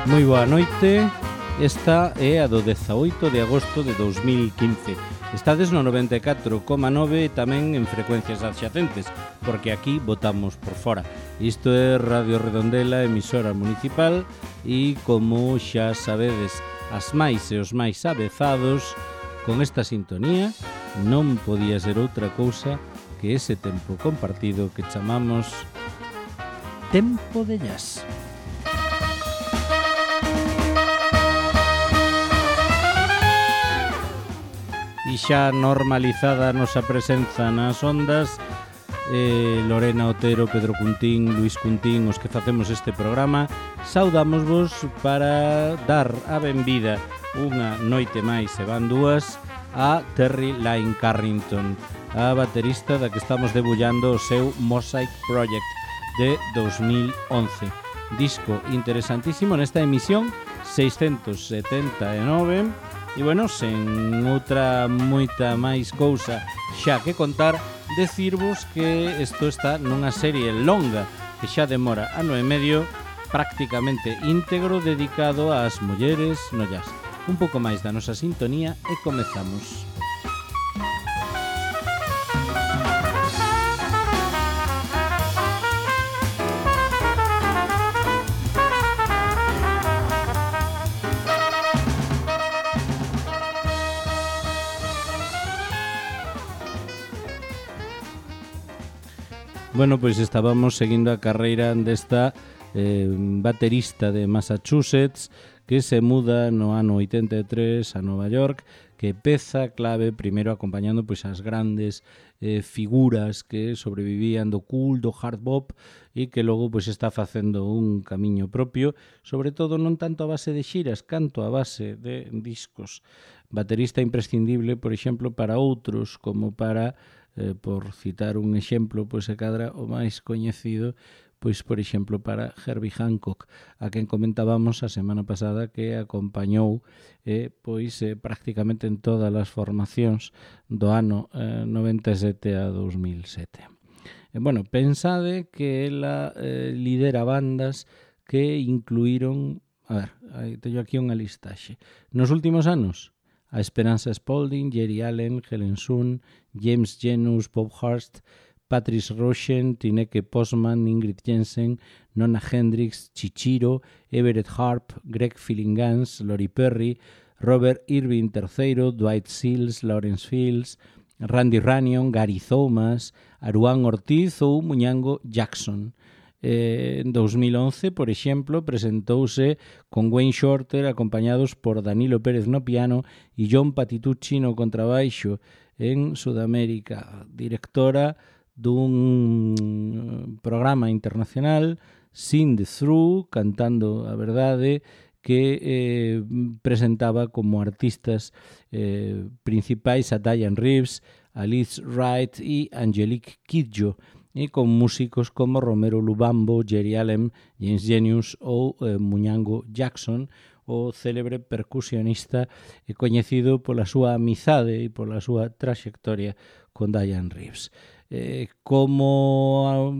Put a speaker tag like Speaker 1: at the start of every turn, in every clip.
Speaker 1: Moi boa noite, esta é a do 18 de agosto de 2015. Estades no 94,9 e tamén en frecuencias adxacentes, porque aquí votamos por fora. Isto é Radio Redondela, emisora municipal, e como xa sabedes, as máis e os máis avezados, con esta sintonía non podía ser outra cousa que ese tempo compartido que chamamos Tempo de Jazz. E xa normalizada a nosa presenza nas ondas, Lorena Otero, Pedro Cuntín, Luis Cuntín, os que facemos este programa, saudámosvos para dar a benvida unha noite máis, e van dúas, a Terry Lyne Carrington, a baterista da que estamos debullando o seu Mosaic Project de 2011. Disco interesantísimo nesta emisión 679. E, bueno, sen outra moita máis cousa xa que contar, decirvos que isto está nunha serie longa que xa demora ano e medio, prácticamente íntegro, dedicado ás mulleres no jazz. Un pouco máis da nosa sintonía e comezamos. Bueno, pois estábamos seguindo a carreira desta baterista de Massachusetts que se muda no ano 83 a Nova York, que peza clave primeiro acompañando pois as grandes figuras que sobrevivían do cool, do hard bop, e que logo pois está facendo un camiño propio, sobre todo non tanto a base de xiras, canto a base de discos. Baterista imprescindible, por exemplo, para outros, como para por citar un exemplo, pois se cadra o máis coñecido, pois por exemplo para Herbie Hancock, a quen comentábamos a semana pasada que acompañou pois prácticamente en todas as formacións do ano 97 a 2007. Bueno, pensade que ela lidera bandas que incluíron, a ver, teño aquí unha listaxe. Nos últimos anos, a Esperanza Spalding, Jerry Allen, Helen Sun, James Genus, Bob Hurst, Patrice Rushen, Tineke Postman, Ingrid Jensen, Nona Hendrix, Chichiro, Everett Harp, Greg Philingans, Lori Perry, Robert Irving III, Dwight Seals, Lawrence Fields, Randy Runyon, Gary Thomas, Aruán Ortiz ou Muñango Jackson. En 2011, por exemplo, presentouse con Wayne Shorter acompañados por Danilo Pérez no piano e John Patitucci no contrabaixo en Sudamérica, directora dun programa internacional, Sing the Through, cantando a verdade, que presentaba como artistas principais a Diane Reeves, a Liz Wright e Angelique Kidjo, e con músicos como Romero Lubambo, Jerry Allen, James Genius ou Muñango Jackson, o célebre percusionista coñecido pola súa amizade e pola súa traxectoria con Diane Reeves. Como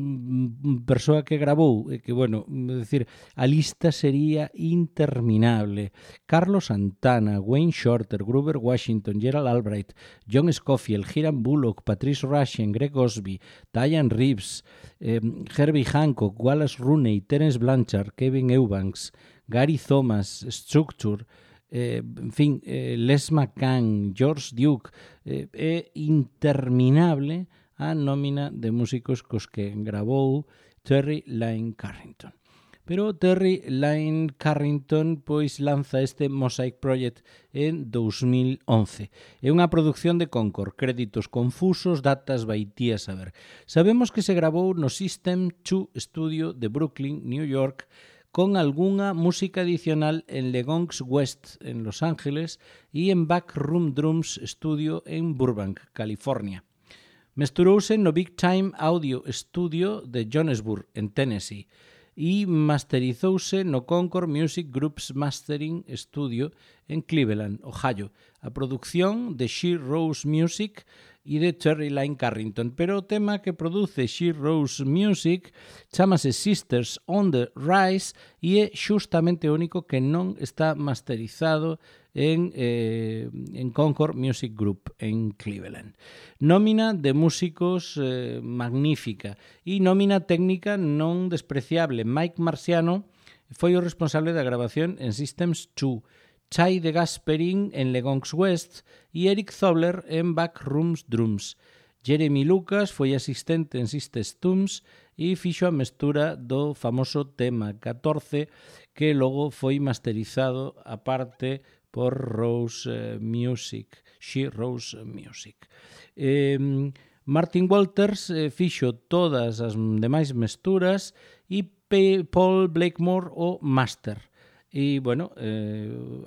Speaker 1: persoa que grabou, que, bueno, decir, a lista sería interminable. Carlos Santana, Wayne Shorter, Grover Washington, Gerald Albright, John Scofield, Hiram Bullock, Patrice Rushen, Greg Osby, Diane Reeves, Herbie Hancock, Wallace Rooney, Terence Blanchard, Kevin Eubanks, Gary Thomas, Structure, en fin, Les McCann, George Duke, é interminable a nómina de músicos cos que gravou Terry Lyne Carrington. Pero Terry Lyne Carrington pois lanza este Mosaic Project en 2011. É unha produción de Concord, créditos confusos, datas vaitía saber. Sabemos que se gravou no System 2 Studio de Brooklyn, New York, con algunha música adicional en Legons West, en Los Ángeles, e en Backroom Drums Studio en Burbank, California. Mesturouse no Big Time Audio Studio de Jonesburg, en Tennessee, e masterizouse no Concord Music Group's Mastering Studio en Cleveland, Ohio. A produción de She Rose Music e de Terry Lyne Carrington, pero o tema que produce She Rose Music chamase Sisters on the Rise e é xustamente o único que non está masterizado en Concord Music Group en Cleveland. Nómina de músicos magnífica e nómina técnica non despreciable. Mike Marciano foi o responsable da grabación en Systems 2, Chai de Gasperin en Legons West e Eric Zobler en Backrooms Drums. Jeremy Lucas foi asistente en Systems Tooms e fixo a mestura do famoso tema 14 que logo foi masterizado aparte por Rose Music, She Rose Music. Martin Walters fixo todas as demais mesturas e Paul Blakemore o master. E, bueno,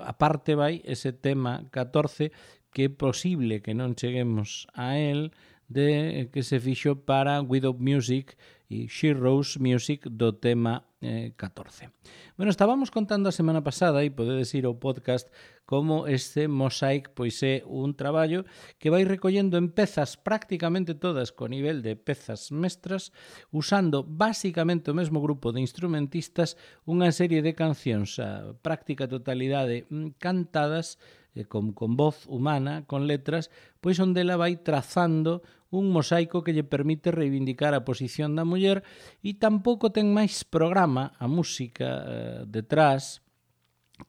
Speaker 1: aparte vai ese tema 14 que é posible que non cheguemos a él de que se fixo para Widow Music e She Rose Music do tema 14. Bueno, estábamos contando a semana pasada e podedes ir ao podcast como este Mosaic pois é un traballo que vai recollendo en pezas prácticamente todas co nivel de pezas mestras, usando basicamente o mesmo grupo de instrumentistas unha serie de cancións a práctica totalidade cantadas con voz humana, con letras, pois onde ela vai trazando un mosaico que lle permite reivindicar a posición da muller e tampouco ten máis programa a música detrás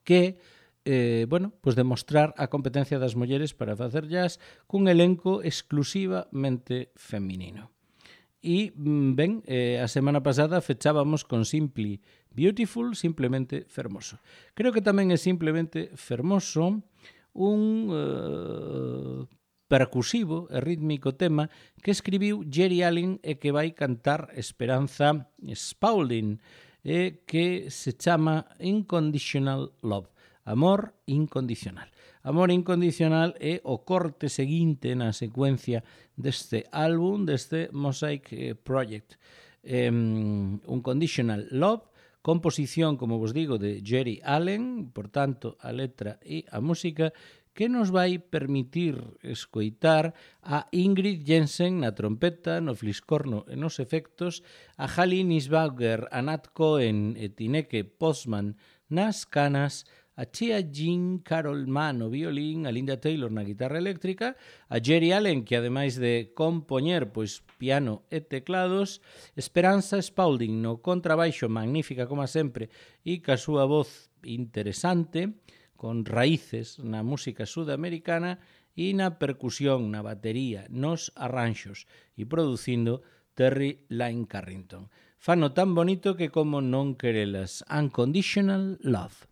Speaker 1: que pois demostrar a competencia das mulleres para facer jazz cun elenco exclusivamente feminino. E, ben, a semana pasada fechábamos con Simply Beautiful, simplemente fermoso. Creo que tamén é simplemente fermoso un percusivo e rítmico tema que escribiu Jerry Allen e que vai cantar Esperanza Spaulding, que se chama Unconditional Love, amor incondicional. Amor incondicional é o corte seguinte na secuencia deste álbum, deste Mosaic Project. Unconditional Love, composición, como vos digo, de Jerry Allen, por tanto, a letra e a música, que nos vai permitir escoitar a Ingrid Jensen na trompeta, no fliscorno e nos efectos, a Hallie Nisbauger, a Nat Cohen e Tineke Postman nas canas, a Chia Jean Carol Mann no violín, a Linda Taylor na guitarra eléctrica, a Jerry Allen, que ademais de compoñer pois piano e teclados, Esperanza Spaulding no contrabaixo, magnífica como sempre, e ca súa voz interesante, con raíces na música sudamericana e na percusión, na batería, nos arranxos e producindo Terry Lyne Carrington. Fano tan bonito que como non querelas. Unconditional Love.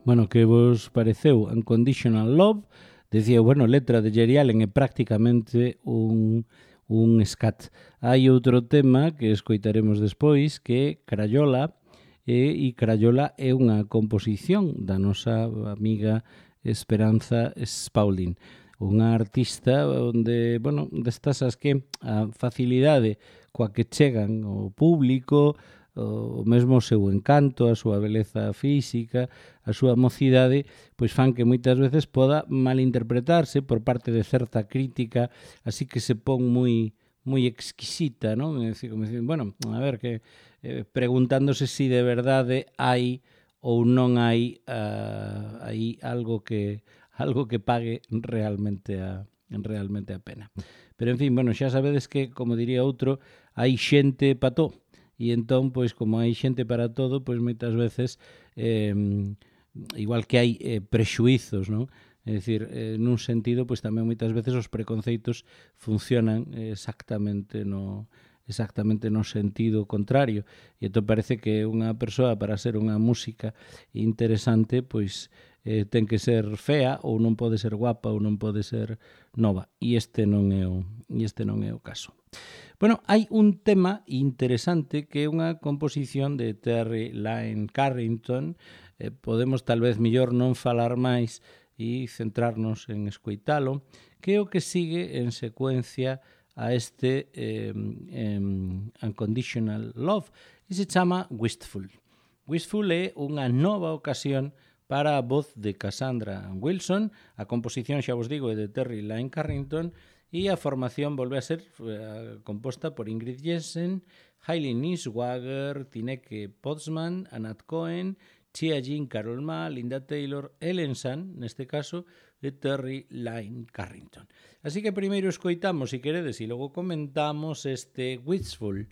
Speaker 1: Bueno, que vos pareceu Unconditional Love? Decía, bueno, letra de Jerry Allen é prácticamente un scat. Hai outro tema que escoitaremos despois que é Crayola, e Crayola é unha composición da nosa amiga Esperanza Spaulding, unha artista onde, bueno, destas as que a facilidade coa que chegan ao público, o mesmo o seu encanto, a súa beleza física, a súa mocidade, pois fan que moitas veces poda malinterpretarse por parte de certa crítica, así que se pon moi exquisita, non? É dicir, como dicir, bueno, a ver, que preguntándose si de verdade hai ou non hai aí algo que pague realmente a pena. Pero, en fin, bueno, xa sabedes que, como diría outro, hai xente pa todo. E entón, pois, como hai xente para todo, pois moitas veces, igual que hai prexuizos, non? É dicir, nun sentido, pois tamén moitas veces os preconceitos funcionan exactamente no sentido contrario. E entón parece que unha persoa, para ser unha música interesante, pois ten que ser fea, ou non pode ser guapa, ou non pode ser nova. E este non é o caso. Bueno, hai un tema interesante que é unha composición de Terry Lyne Carrington. Podemos tal vez mellor non falar máis e centrarnos en escoitalo, que é o que sigue en secuencia a este Unconditional Love, e se chama Wistful. Wistful é unha nova ocasión para a voz de Cassandra Wilson. A composición, xa vos digo, é de Terry Lyne Carrington, e a formación volve a ser composta por Ingrid Jensen, Hailey Niswager, Tineke Potsman, Anat Cohen, Chia Jean Carol Ma, Linda Taylor, Ellen Sun, neste caso, de Terry Lyne Carrington. Así que primeiro escoitamos, se queredes, e logo comentamos este Wistful.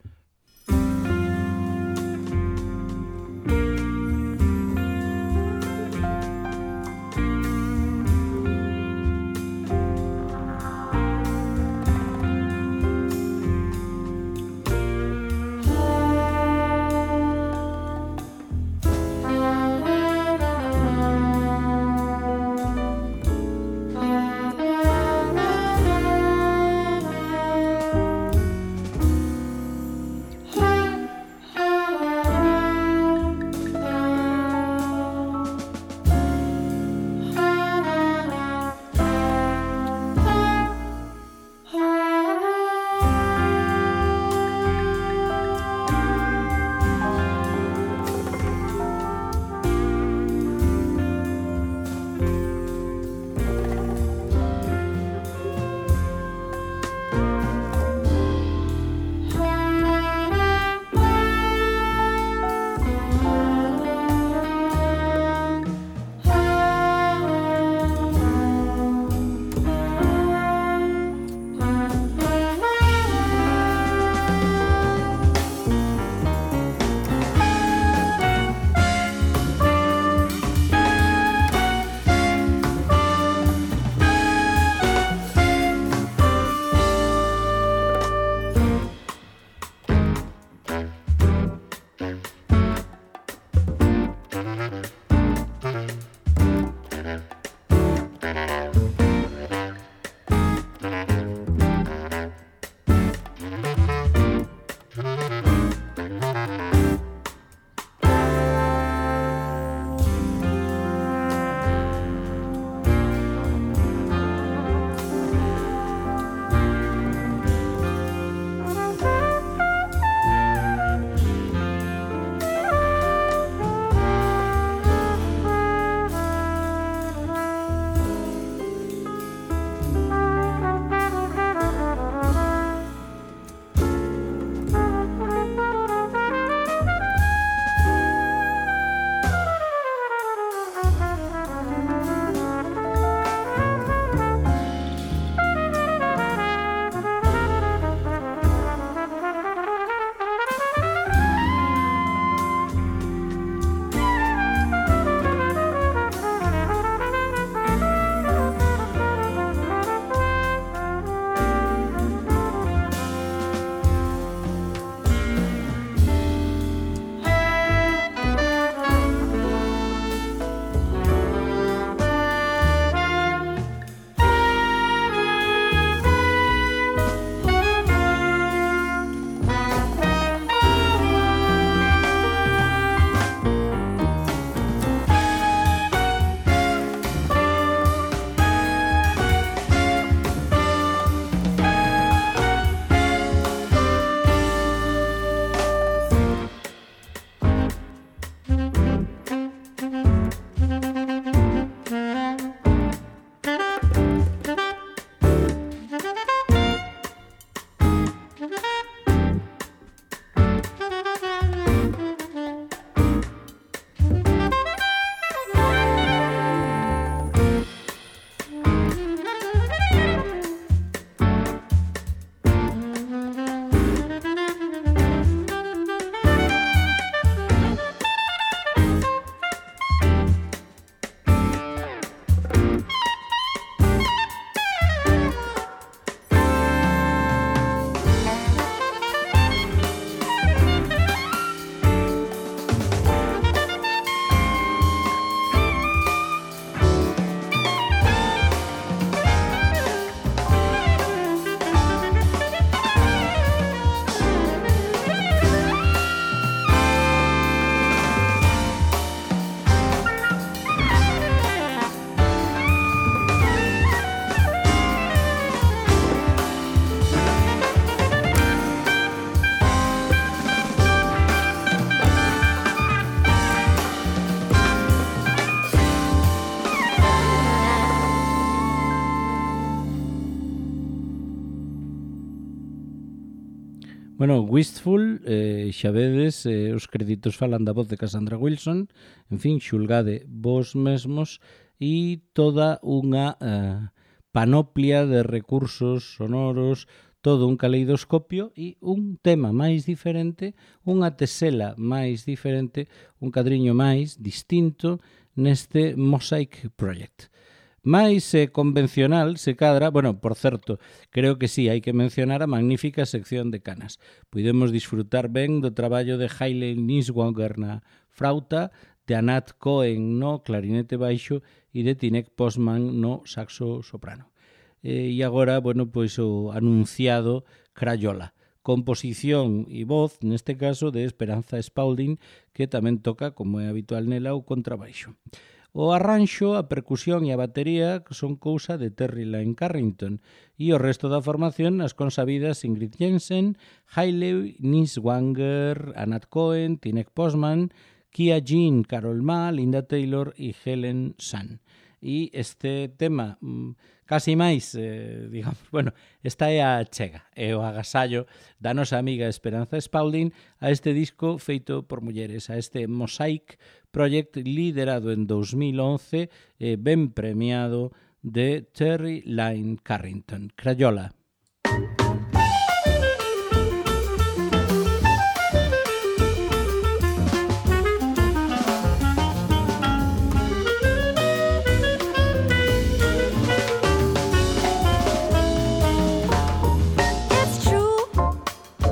Speaker 1: Bueno, Wistful, xa vedes, os créditos falan da voz de Cassandra Wilson, en fin, xulgade vos mesmos, e toda unha panoplia de recursos sonoros, todo un caleidoscopio e un tema máis diferente, unha tesela máis diferente, un cadriño máis distinto neste Mosaic Project. máis convencional se cadra, bueno, por certo, creo que sí, hai que mencionar a magnífica sección de canas. Podemos disfrutar ben do traballo de Hayley Niswanger na frauta, de Anat Cohen no clarinete baixo e de Tinek Postman no saxo soprano. E agora, bueno, pois o anunciado Crayola, composición e voz, neste caso, de Esperanza Spalding, que tamén toca, como é habitual nela, o contrabaixo. O arranxo, a percusión e a batería son cousa de Terry Lyne Carrington e o resto da formación as consabidas Ingrid Jensen, Hayley Niswanger, Anat Cohen, Tinek Postman, Kia Jean, Carol Ma, Linda Taylor e Helen Sun. E este tema casi máis, digamos, bueno, esta é a chega, é o agasallo da nosa amiga Esperanza Spalding a este disco feito por mulleres, a este Mosaic Project liderado en 2011 e ben premiado de Terry Lyne Carrington. Crayola.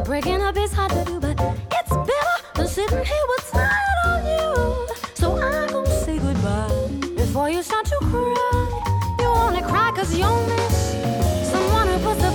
Speaker 2: Breaking up is hard to do, but it's better than sitting here with tired on you. So I'm gonna say goodbye before you start to cry. You only cry 'cause you'll miss someone who puts the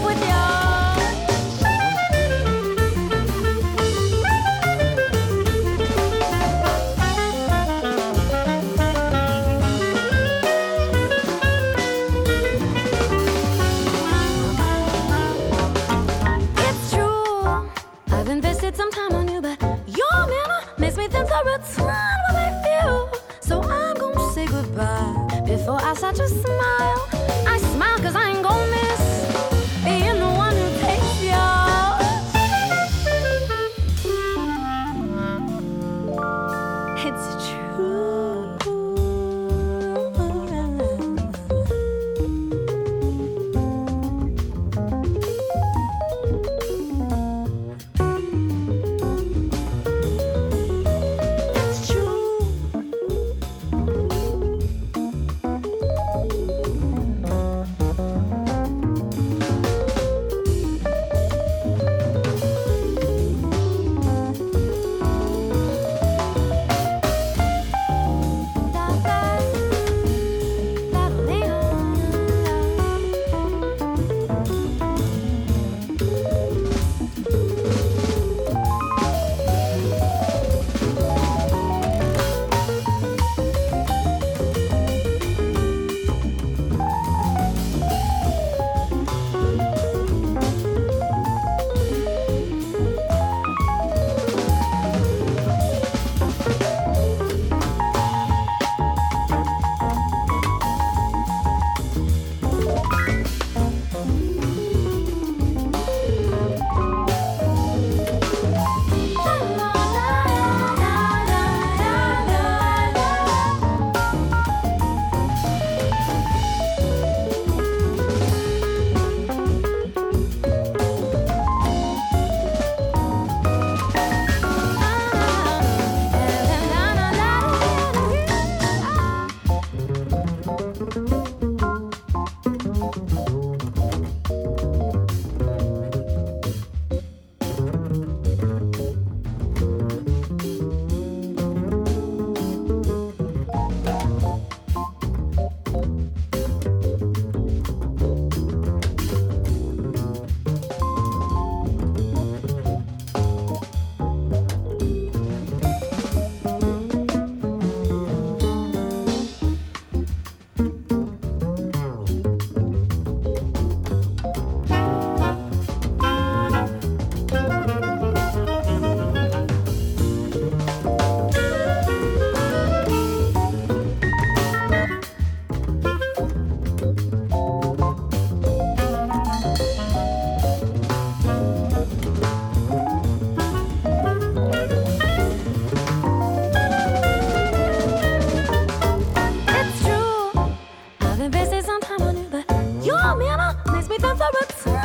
Speaker 2: the return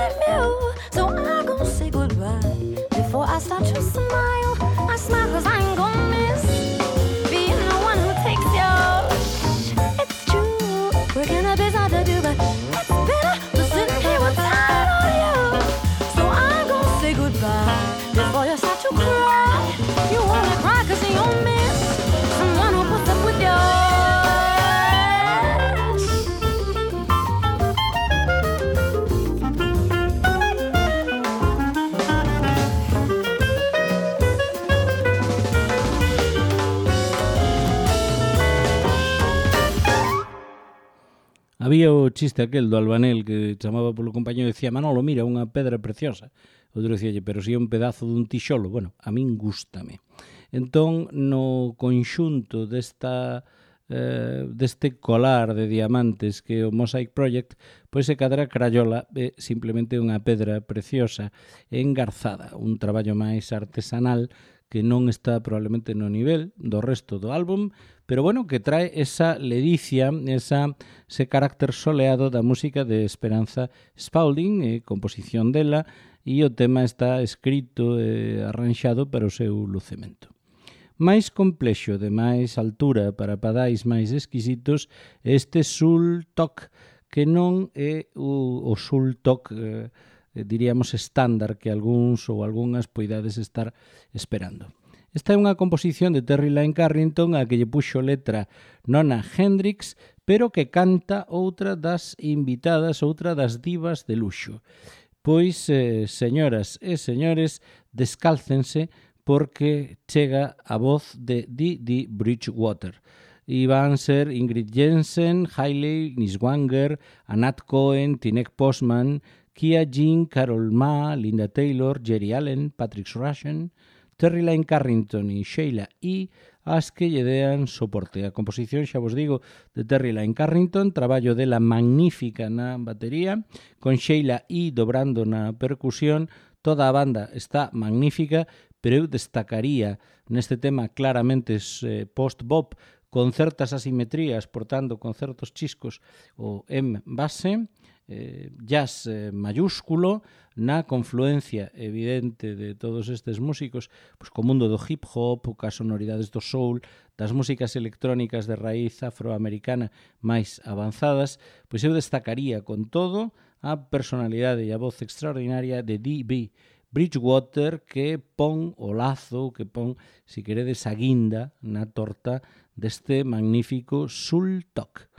Speaker 2: of you. So I'm gonna say goodbye before I start to smile. I smile 'cause I ain't gonna miss being the one who takes you. It's true, we're gonna be hard to do, but it's better than sitting here with time on you. So I'm gonna say goodbye before you start to cry. You wanna cry 'cause you'll miss someone who puts up with you.
Speaker 1: Había o chiste aquel do albanel que chamaba polo compañero e dicía Manolo, mira, unha pedra preciosa. Outro dicíalle, pero si é un pedazo dun tixolo. Bueno, a min gústame. Entón, no conxunto deste colar de diamantes que é o Mosaic Project, pois se cadra Crayola é simplemente unha pedra preciosa engarzada, un traballo máis artesanal que non está probablemente no nivel do resto do álbum, pero bueno, que trae esa ledicia, ese carácter soleado da música de Esperanza Spalding, composición dela, e o tema está escrito e arranxado para o seu lucemento. Máis complexo, de máis altura, para padais máis exquisitos, este Soul Talk, que non é o Soul Talk diríamos estándar que algúns ou algunhas poidades estar esperando. Esta é unha composición de Terry Lyne Carrington a que lle puxo letra Nona Hendrix, pero que canta outra das invitadas, outra das divas de luxo. Pois, señoras e señores, descálcense porque chega a voz de Dee Bridgewater. E van ser Ingrid Jensen, Hailey Niswanger, Anat Cohen, Tinek Postman, Kia Jean, Carol Ma, Linda Taylor, Jerry Allen, Patrick Rushen, Terry Lyne Carrington e Sheila E. as que lle dean soporte. A composición, xa vos digo, de Terry Lyne Carrington, traballo dela magnífica na batería, con Sheila E. dobrando na percusión, toda a banda está magnífica, pero eu destacaría neste tema claramente post-bop, con certas asimetrías, portando con certos chiscos o M base, jazz mayúsculo, na confluencia evidente de todos estes músicos, pois co mundo do hip hop, cas sonoridades do soul, das músicas electrónicas de raíz afroamericana máis avanzadas, pois eu destacaría con todo a personalidade e a voz extraordinaria de Dee Bridgewater, que pon o lazo, que pon, si queredes, a guinda na torta deste magnífico Soul Talk.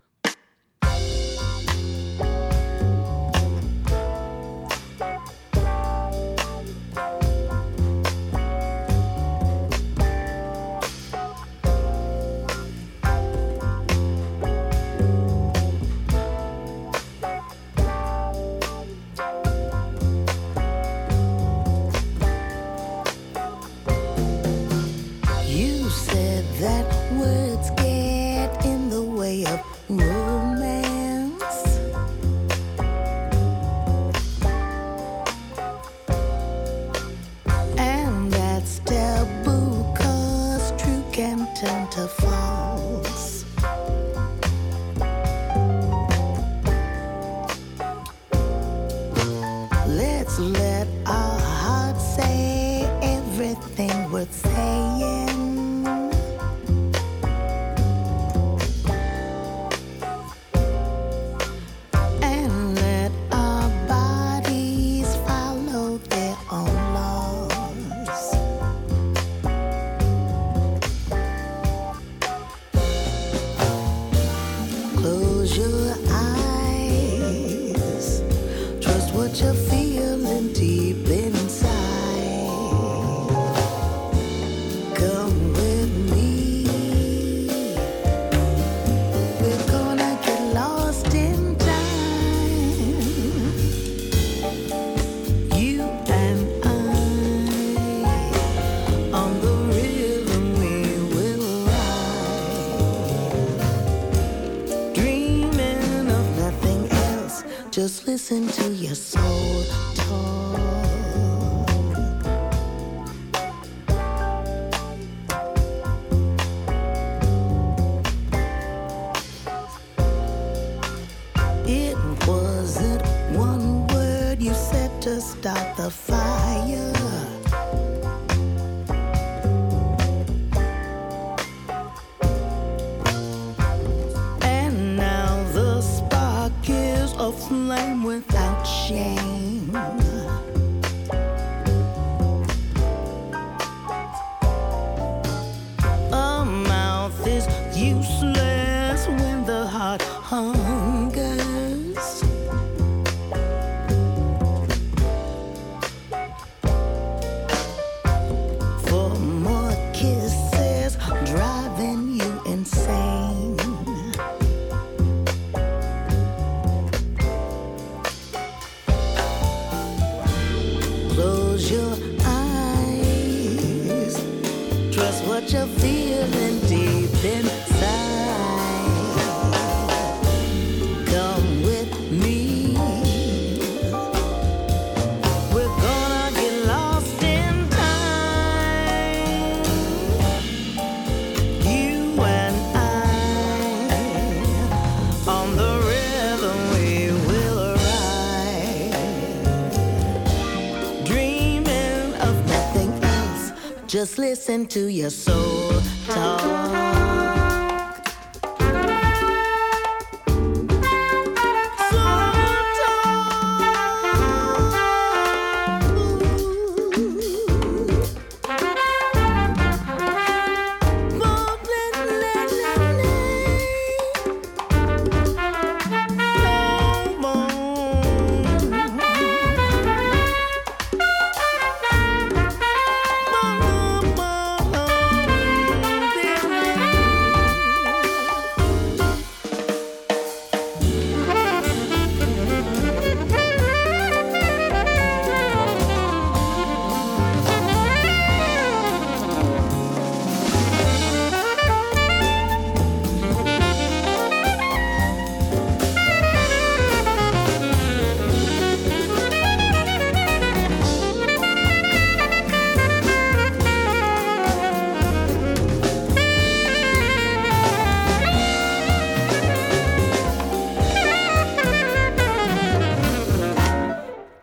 Speaker 3: Just listen to your soul talk. It wasn't one without the fire. And now the spark is a flame without shame. A mouth is useless when the heart hungers. For more kisses driving you insane. Close your eyes. Trust what you're feeling deep inside. Come with me. We're gonna get lost in time. You and I, on the rhythm we will ride. Dreaming of nothing else. Just listen to your soul talk.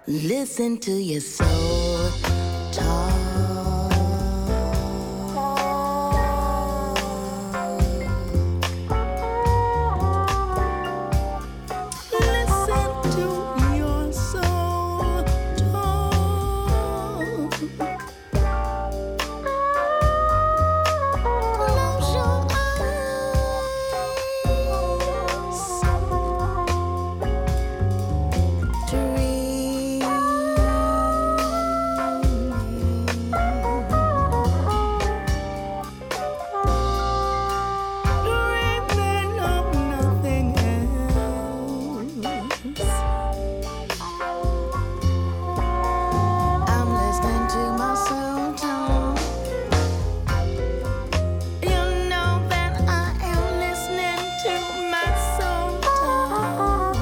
Speaker 3: Listen to your soul talk. Listen to your soul talk. Close your eyes. Dream. Dreaming of nothing else. I'm listening to my soul talk. You know that I am listening to my soul talk.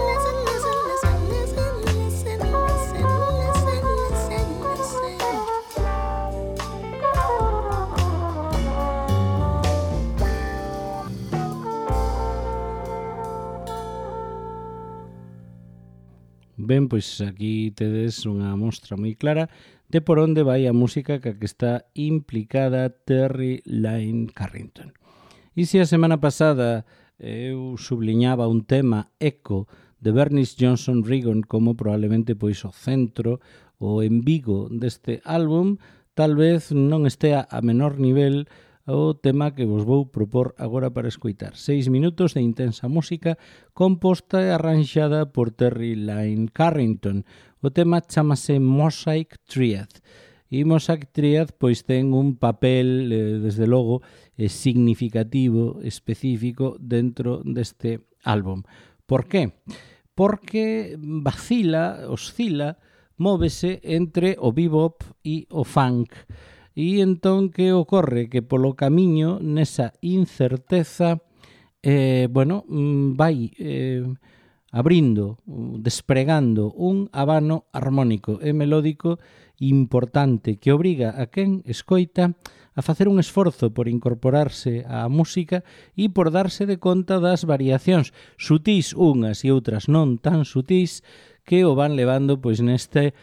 Speaker 3: Listen, listen, listen, listen, listen, listen, listen, listen, listen.
Speaker 1: Ben, pois aquí tedes unha mostra moi clara de por onde vai a música que está implicada Terry Lyne Carrington. E se a semana pasada eu subliñaba un tema eco de Bernice Johnson Reagon como probablemente pois o centro, o embigo deste álbum, tal vez non estea a menor nivel o tema que vos vou propor agora para escoitar. 6 minutos de intensa música composta e arranxada por Terry Lyne Carrington. O tema chamase Mosaic Triad. E Mosaic Triad pois ten un papel, desde logo, significativo, específico dentro deste álbum. Por qué? Porque oscila, móvese entre o bebop e o funk. E entón que ocorre? Que polo camiño, nesa incerteza, vai abrindo, despregando un abano armónico e melódico importante que obriga a quen escoita a facer un esforzo por incorporarse á música e por darse de conta das variacións sutís unhas e outras non tan sutís que o van levando pois neste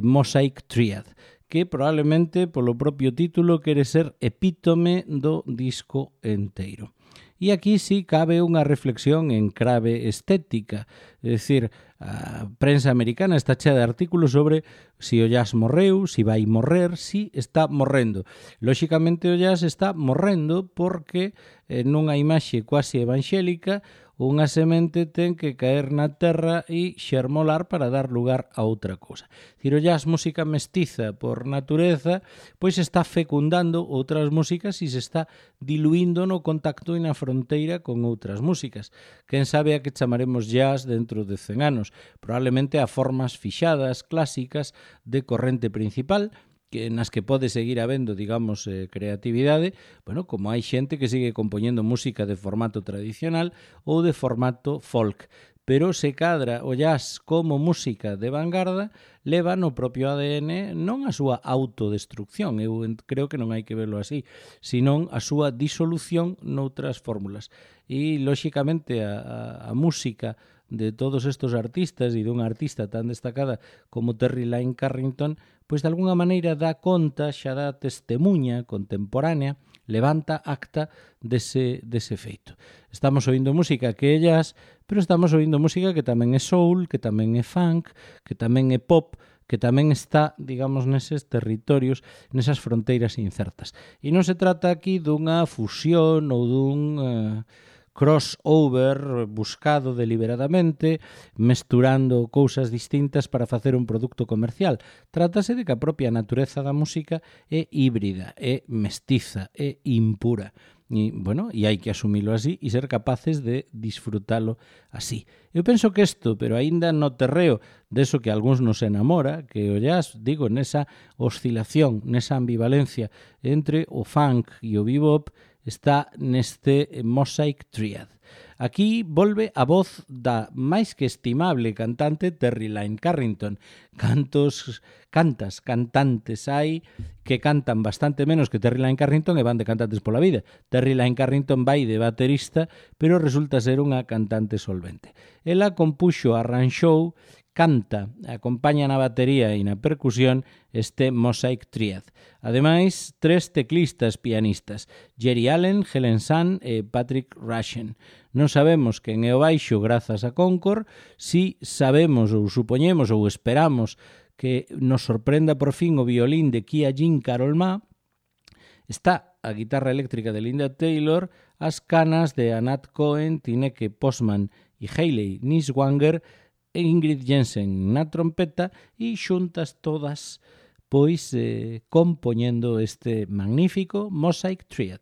Speaker 1: Mosaic Triad, que probablemente polo propio título quere ser epítome do disco enteiro. E aquí sí cabe unha reflexión en clave estética, é dicir, a prensa americana está chea de artículos sobre si o jazz morreu, si vai morrer, si está morrendo. Lóxicamente o jazz está morrendo porque nunha imaxe quasi evangélica unha semente ten que caer na terra e xermolar para dar lugar a outra cousa. Dicir, o jazz, música mestiza por natureza, pois está fecundando outras músicas e se está diluindo no contacto e na fronteira con outras músicas. Quen sabe a que chamaremos jazz dentro de 100 anos? Probablemente a formas fixadas, clásicas, de corrente principal, que nas que pode seguir habendo, digamos, creatividade, bueno, como hai xente que sigue compoñendo música de formato tradicional ou de formato folk, pero se cadra o jazz como música de vanguarda, leva no propio ADN non a súa autodestrucción, eu creo que non hai que verlo así, senón a súa disolución noutras fórmulas. E, lóxicamente, a música de todos estos artistas e dunha artista tan destacada como Terry Lyne Carrington, pois de alguna maneira dá conta, xa dá testemunha contemporánea, levanta acta dese feito. Estamos oindo música que é jazz, pero estamos oindo música que tamén é soul, que tamén é funk, que tamén é pop, que tamén está, digamos, neses territorios, nesas fronteiras incertas. E non se trata aquí dunha fusión ou dun crossover buscado deliberadamente, mesturando cousas distintas para facer un produto comercial. Trátase de que a propia natureza da música é híbrida, é mestiza, é impura. E, bueno, e hai que asumilo así e ser capaces de disfrutalo así. Eu penso que isto, pero aínda no terreo deso que a algúns nos enamora, que o jazz, digo, nesa oscilación, nesa ambivalencia entre o funk e o bebop, está neste Mosaic Triad. Aquí volve a voz da máis que estimable cantante Terry Lyne Carrington. Cantantes hai que cantan bastante menos que Terry Lyne Carrington e van de cantantes pola vida. Terry Lyne Carrington vai de baterista, pero resulta ser unha cantante solvente. Ela compuxo, arranxou, canta, acompaña na batería e na percusión este Mosaic Triad. Ademais, 3 teclistas pianistas, Jerry Allen, Helen Sun e Patrick Rushen. Non sabemos quen é o baixo grazas a Concord, si sabemos ou supoñemos ou esperamos que nos sorprenda por fin o violín de Kia Jean Carol Ma, está a guitarra eléctrica de Linda Taylor, as canas de Anat Cohen, Tineke Postman e Hayley Niswanger, e Ingrid Jensen na trompeta e xuntas todas pois compoñendo este magnífico Mosaic Triad.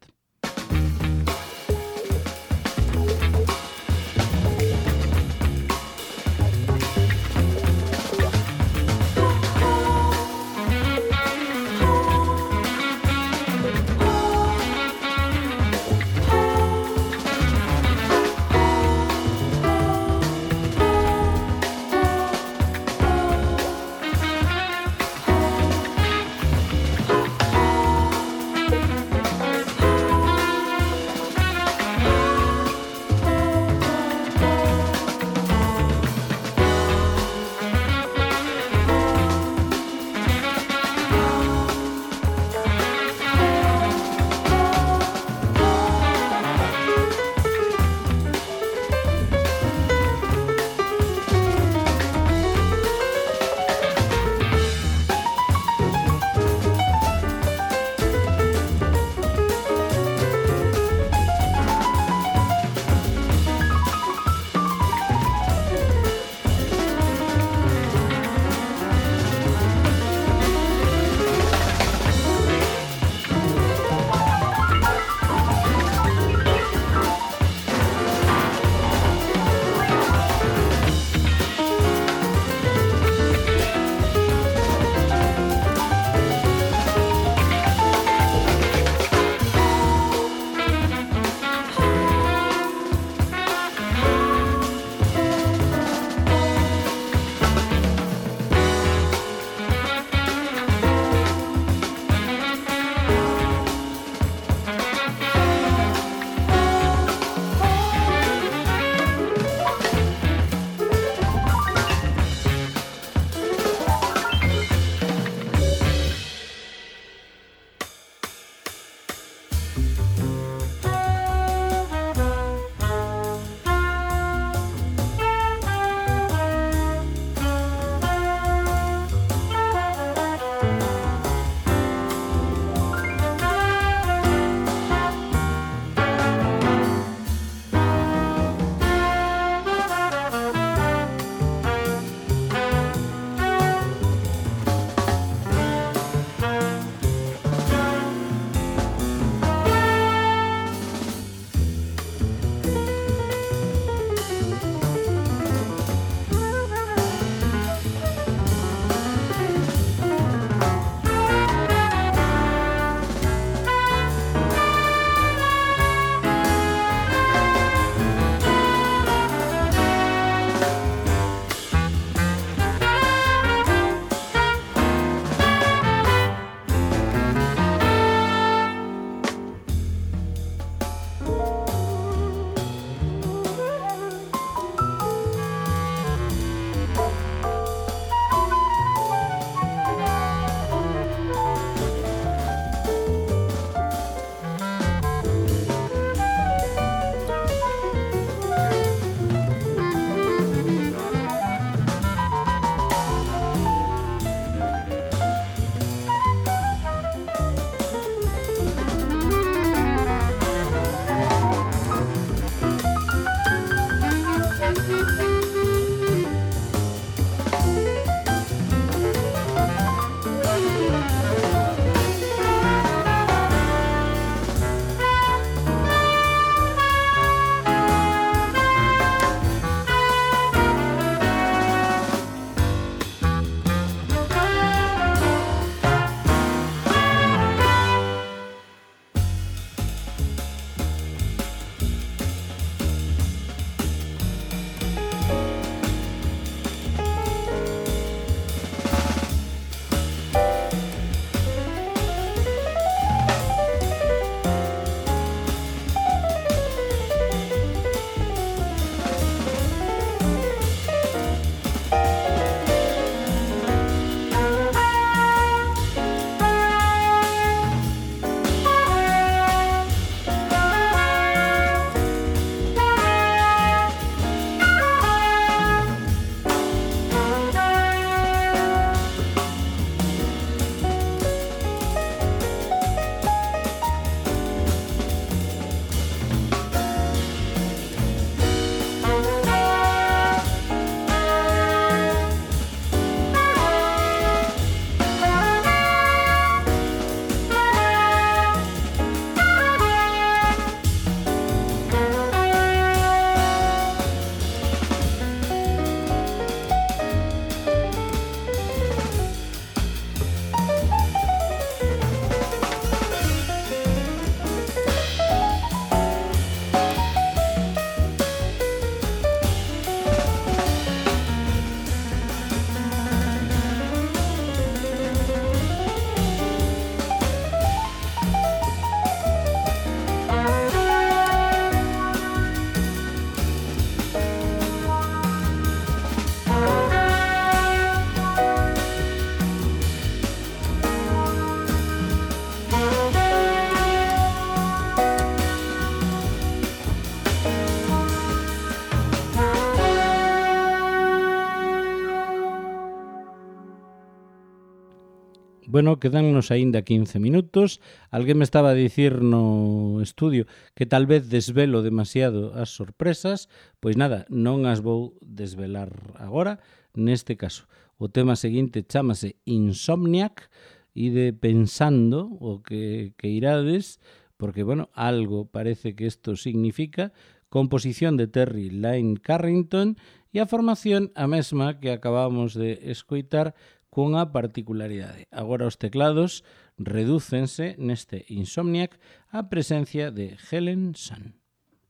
Speaker 1: Bueno, quedannos aínda 15 minutos. Alguén me estaba a dicir no estudio que tal vez desvelo demasiado as sorpresas. Pois nada, non as vou desvelar agora. Neste caso, o tema seguinte chámase Insomniac. Ide pensando o que irades, porque, bueno, algo parece que isto significa. Composición de Terry Lyne Carrington e a formación a mesma que acabamos de escoitar, cunha particularidade. Agora os teclados redúcense neste Insomniac a presencia de Helen Sun.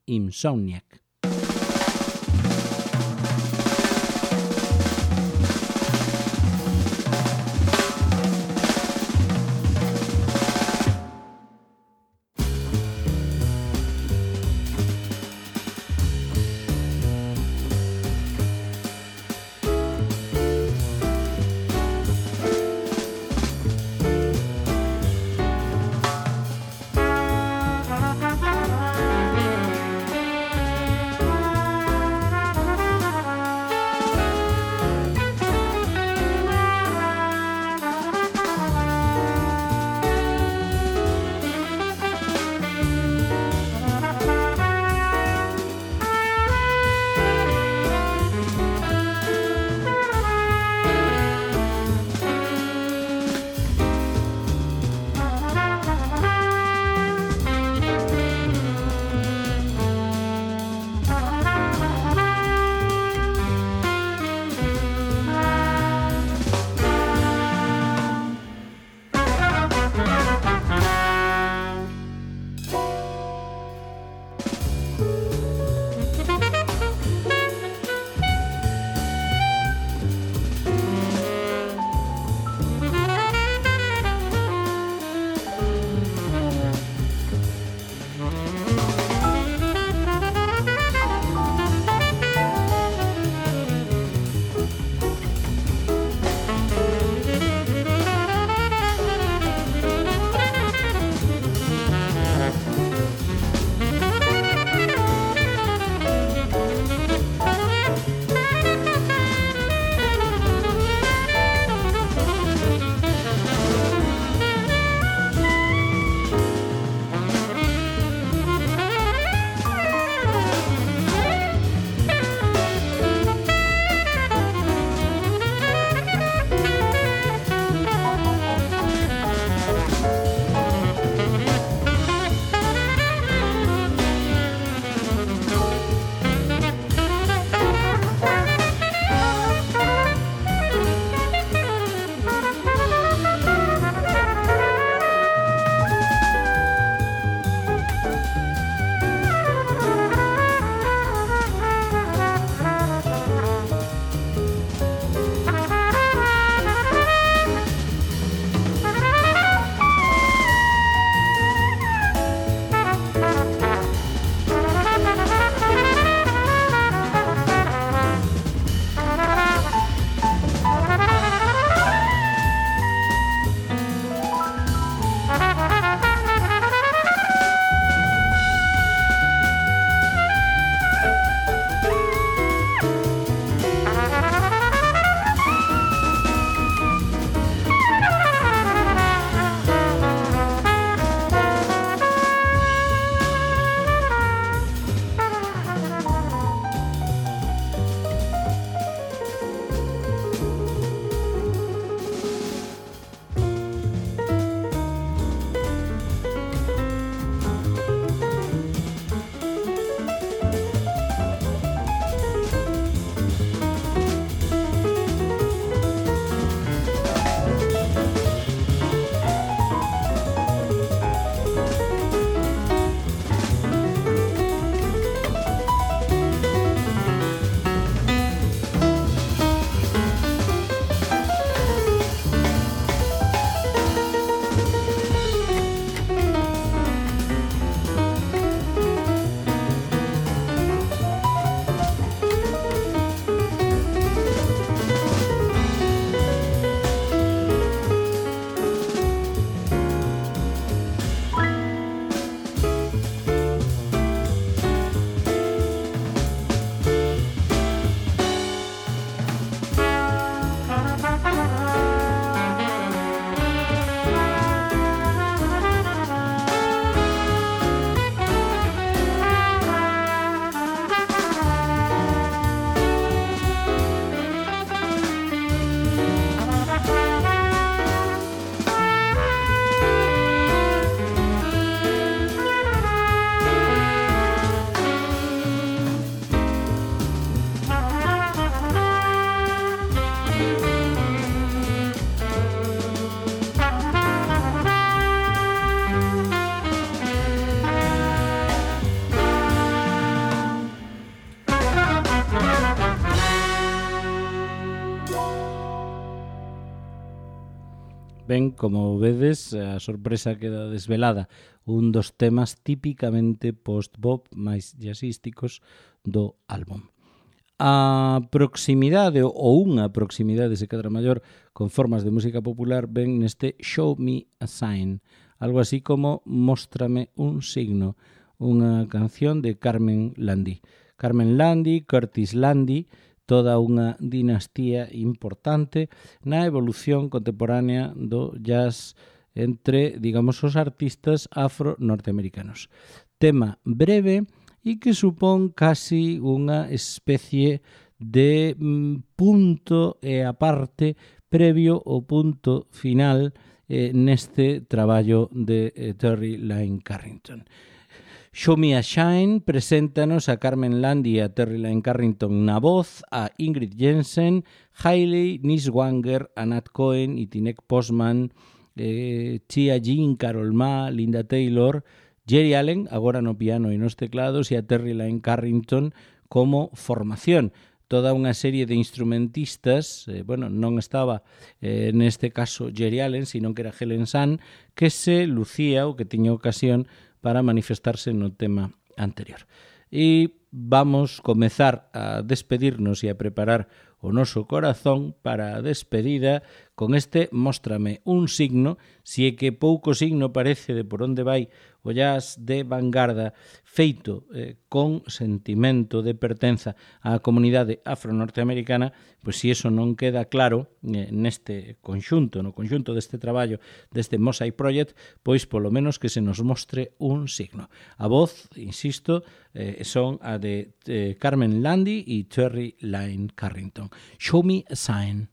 Speaker 1: Insomniac. Ben, como vedes, a sorpresa queda desvelada. Un dos temas típicamente post-bop máis jazzísticos do álbum. A proximidade ou unha proximidade, se cadra maior, con formas de música popular ven neste Show Me a Sign, algo así como Móstrame un signo, unha canción de Carmen Landi. Carmen Landi, Curtis Landi, toda unha dinastía importante na evolución contemporánea do jazz entre, digamos, os artistas afro-norteamericanos. Tema breve e que supón casi unha especie de punto e aparte previo ao punto final neste traballo de Terry Lyne Carrington. Show Me a Shine preséntanos a Carmen Landi e a Terry Lyne Carrington na voz, a Ingrid Jensen, Hailey Niswanger, a Nat Cohen e Tinek Postman, Chia Jean, Carol Ma, Linda Taylor, Jerry Allen, agora no piano e nos teclados, e a Terry Lyne Carrington como formación. Toda unha serie de instrumentistas, non estaba neste caso Jerry Allen, sino que era Helen Sun, que se lucía ou que tiña ocasión para manifestarse no tema anterior. E vamos comezar a despedirnos e a preparar o noso corazón para a despedida con este Móstrame un signo, si é que pouco signo parece de por onde vai o jazz de vanguarda feito con sentimento de pertenza á comunidade afro-norteamericana, pois se iso non queda claro neste conxunto, no conxunto deste traballo deste Mosaic Project, pois polo menos que se nos mostre un signo. A voz, insisto, son a de Carmen Landi e Terry Lyne Carrington. Show Me a Sign.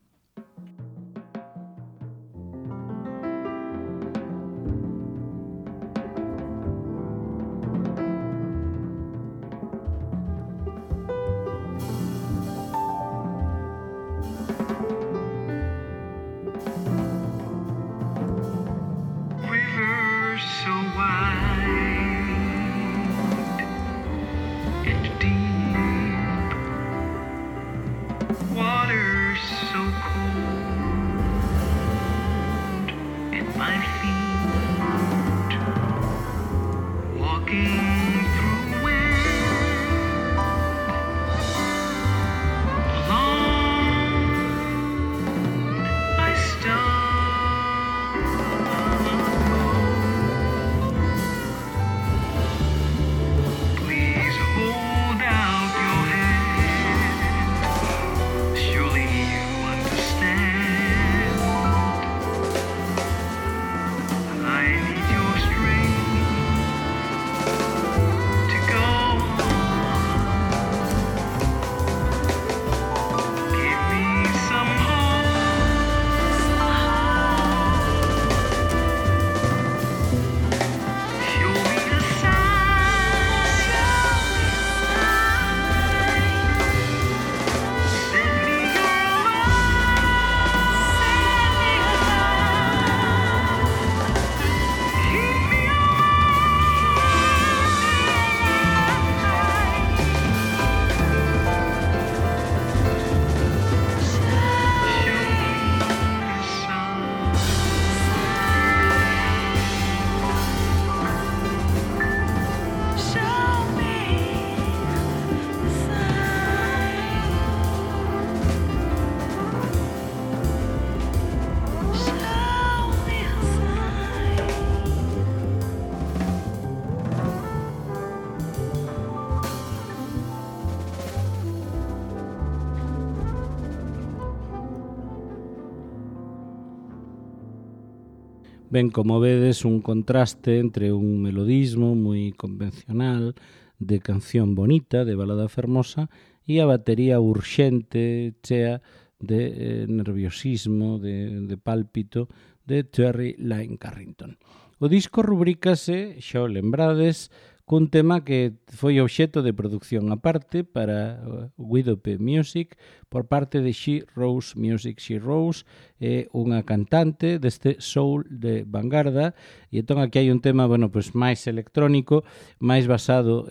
Speaker 1: Ben, como vedes, un contraste entre un melodismo moi convencional, de canción bonita, de balada fermosa, e a batería urxente, chea de nerviosismo, de pálpito, de Terry Lyne Carrington. O disco rubrícase, xa o lembrades, cun tema que foi obxecto de producción aparte para Widope Music por parte de She Rose Music. She Rose é unha cantante deste soul de vanguarda e entón aquí hai un tema, máis electrónico, máis basado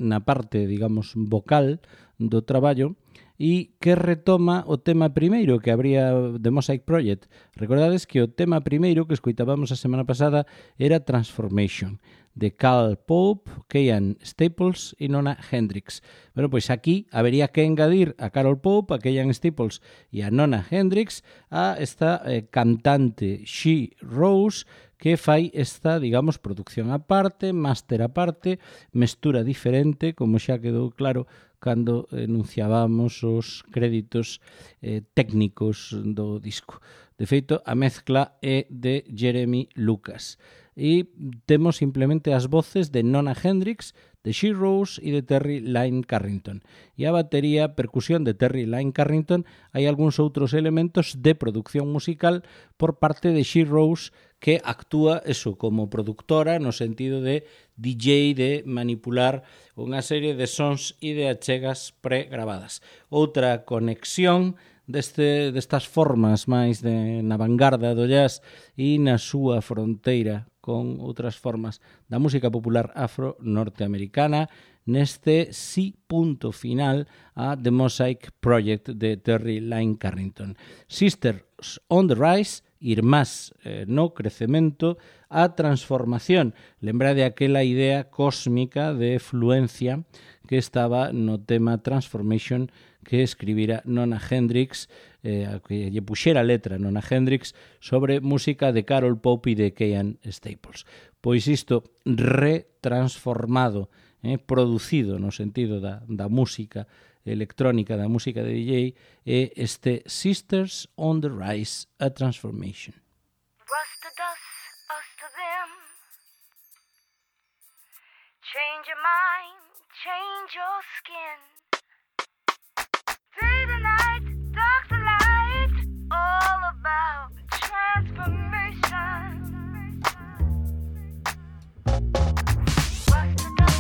Speaker 1: na parte, digamos, vocal do traballo, e que retoma o tema primeiro que habría de Mosaic Project. Recordades que o tema primeiro que escoitábamos a semana pasada era Transformation, de Cal Pope, Keyan Staples e Nona Hendrix. Bueno, pois aquí habería que engadir a Carol Pope, a Keyan Staples e a Nona Hendrix a esta cantante She Rose, que fai esta, digamos, producción aparte, máster aparte, mestura diferente, como xa quedou claro cando enunciábamos os créditos técnicos do disco. De feito, a mezcla é de Jeremy Lucas. E temos simplemente as voces de Nona Hendrix, de She Rose e de Terry Lyne Carrington. E a batería, percusión de Terry Lyne Carrington, hai algúns outros elementos de producción musical por parte de She Rose, que actúa eso como productora no sentido de DJ, de manipular unha serie de sons e de achegas pregravadas. Outra conexión destas formas máis na vanguarda do jazz e na súa fronteira con outras formas da música popular afro-norteamericana neste sí punto final a The Mosaic Project de Terry Lyne Carrington. Sisters on the Rise, irmás no crecemento, a transformación. Lembrade aquela idea cósmica de fluencia que estaba no tema Transformation que escribira Nona Hendrix, que lle puxera letra Nona Hendrix sobre música de Carol Pope e de Keyan Staples. Pois isto retransformado, producido no sentido da música electrónica, da música de DJ, é este Sisters on the Rise, a Transformation.
Speaker 2: Rust to dust, us to them. Change your mind, change your skin. Day to night, dark to light, all about transformation. Rust to dust, us to them.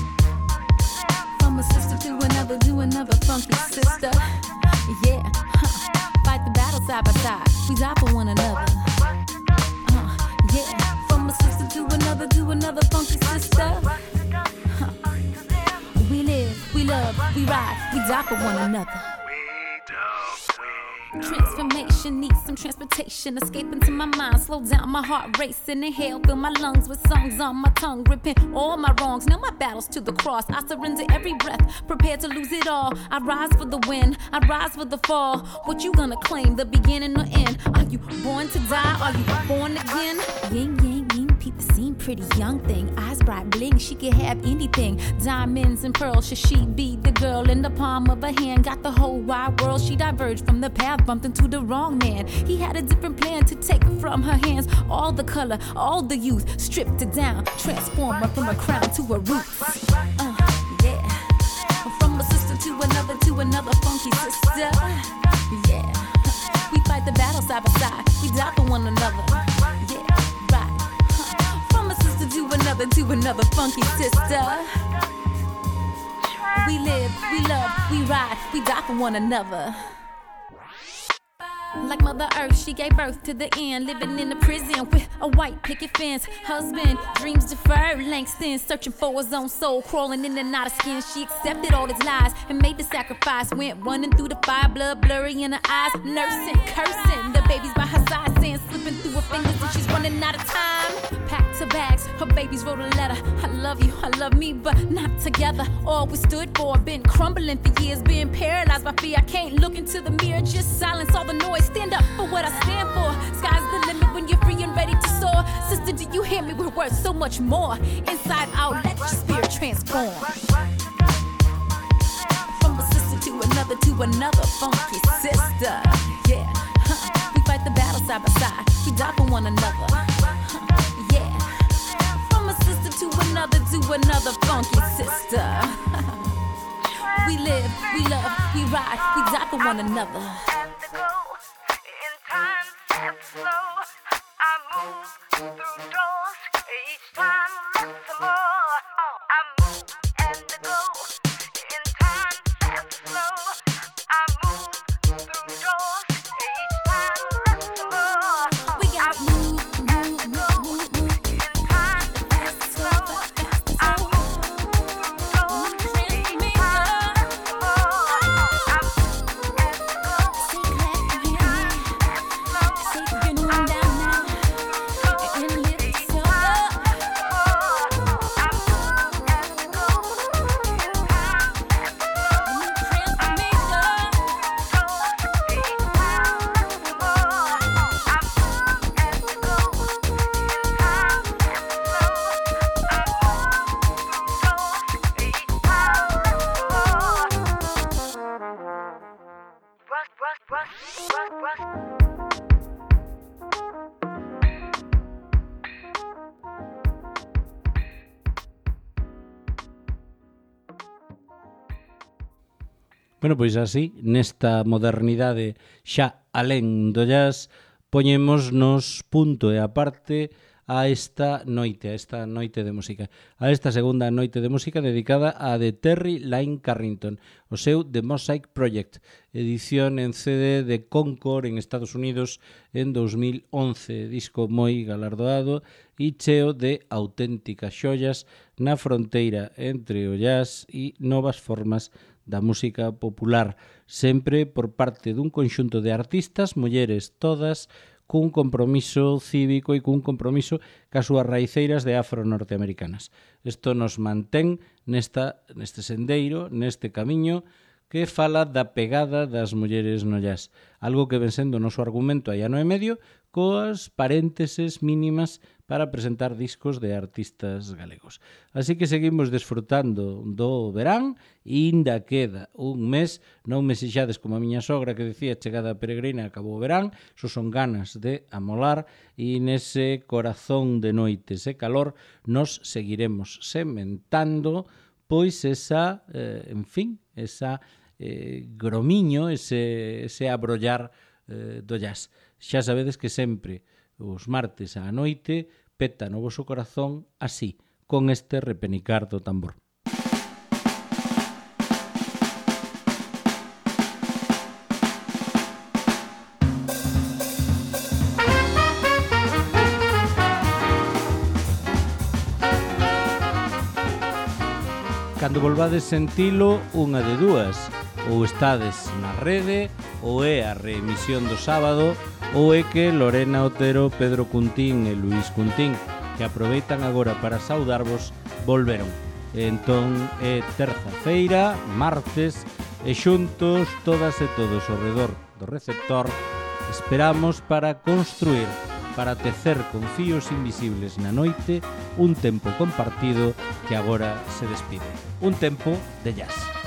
Speaker 4: From a sister to another funky sister. Yeah, fight the battle side by side. We die for one another. Yeah, from a sister to another funky sister. We live, we love, we ride, we die for one another. Transformation needs some transportation. Escape into my mind, slow down my heart racing. Inhale, fill my lungs with songs on my tongue. Repent all my wrongs, now my battles to the cross. I surrender every breath, prepared to lose it all. I rise for the win, I rise for the fall. What you gonna claim, the beginning or end? Are you born to die, are you born again? Yin, yang, yin, people seem pretty young thing. Eyes bright, bling, she can have anything. Diamonds and pearls, should she be the girl in the palm of her hand? Got the whole wide world, she diverged from the path, bumped into the wrong man. He had a different plan to take from her hands. All the color, all the youth, stripped it down, transform her from a crown to a roots. Yeah, from a sister to another funky sister. Yeah, we fight the battle side by side, we die for one another. Yeah, right. From a sister to another funky sister. We live, we love, we ride, we die for one another. Like Mother Earth, she gave birth to the end. Living in a prison with a white picket fence. Husband, dreams deferred, Langston searching for his own soul, crawling in and out of skin. She accepted all his lies and made the sacrifice. Went running through the fire, blood blurry in her eyes. Nursing, cursing, the baby's by her side, sand slipping through her fingers and she's running out of time. Packed her bags, her babies wrote a letter. I love you, I love me, but not together. All we stood for, been crumbling for years, being paralyzed by fear. I can't look into the mirror, just silence all the noise. Stand up for what I stand for. Sky's the limit when you're free and ready to soar. Sister, do you hear me? We're worth so much more. Inside out, let your spirit transform. From a sister to another funky sister. Yeah, we fight the battle side by side. We die for one another. Yeah, from a sister to another funky sister. We live, we love, we ride, we die for one another.
Speaker 2: And slow, I move through doors. Each time less and more. I move and go in time and slow. I move through doors. Each time less and more.
Speaker 4: We got move
Speaker 2: in time and slow. I move through doors.
Speaker 1: Bueno, pois así, nesta modernidade xa alén do jazz, poñémonos punto e aparte a esta noite de música, a esta segunda noite de música dedicada a de Terry Lyne Carrington, o seu The Mosaic Project, edición en CD de Concord en Estados Unidos en 2011, disco moi galardoado e cheo de auténticas xollas na fronteira entre o jazz e novas formas da música popular, sempre por parte dun conxunto de artistas, mulleres todas, cun compromiso cívico e cun compromiso cas súas raiceiras de afro-norteamericanas. Isto nos mantén neste sendeiro, neste camiño que fala da pegada das mulleres no jazz. Algo que ven sendo o noso argumento hai ano e medio, coas parénteses mínimas para presentar discos de artistas galegos. Así que seguimos desfrutando do verán e ainda queda un mes, non me sexades como a miña sogra que decía chegada peregrina acabou o verán, so son ganas de amolar e nese corazón de noites e calor nos seguiremos sementando pois esa, esa gromiño, ese abrollar do jazz. Xa sabedes que sempre os martes á noite peta no voso corazón así, con este repenicar do tambor. Cando volvades sentilo, unha de dúas, ou estades na rede, ou é a reemisión do sábado, ou é que Lorena Otero, Pedro Cuntín e Luís Cuntín, que aproveitan agora para saudarvos, volveron. Entón é terza-feira, martes, e xuntos, todas e todos ao redor do receptor, esperamos para construir, para tecer con fíos invisibles na noite un tempo compartido que agora se despide. Un tempo de jazz.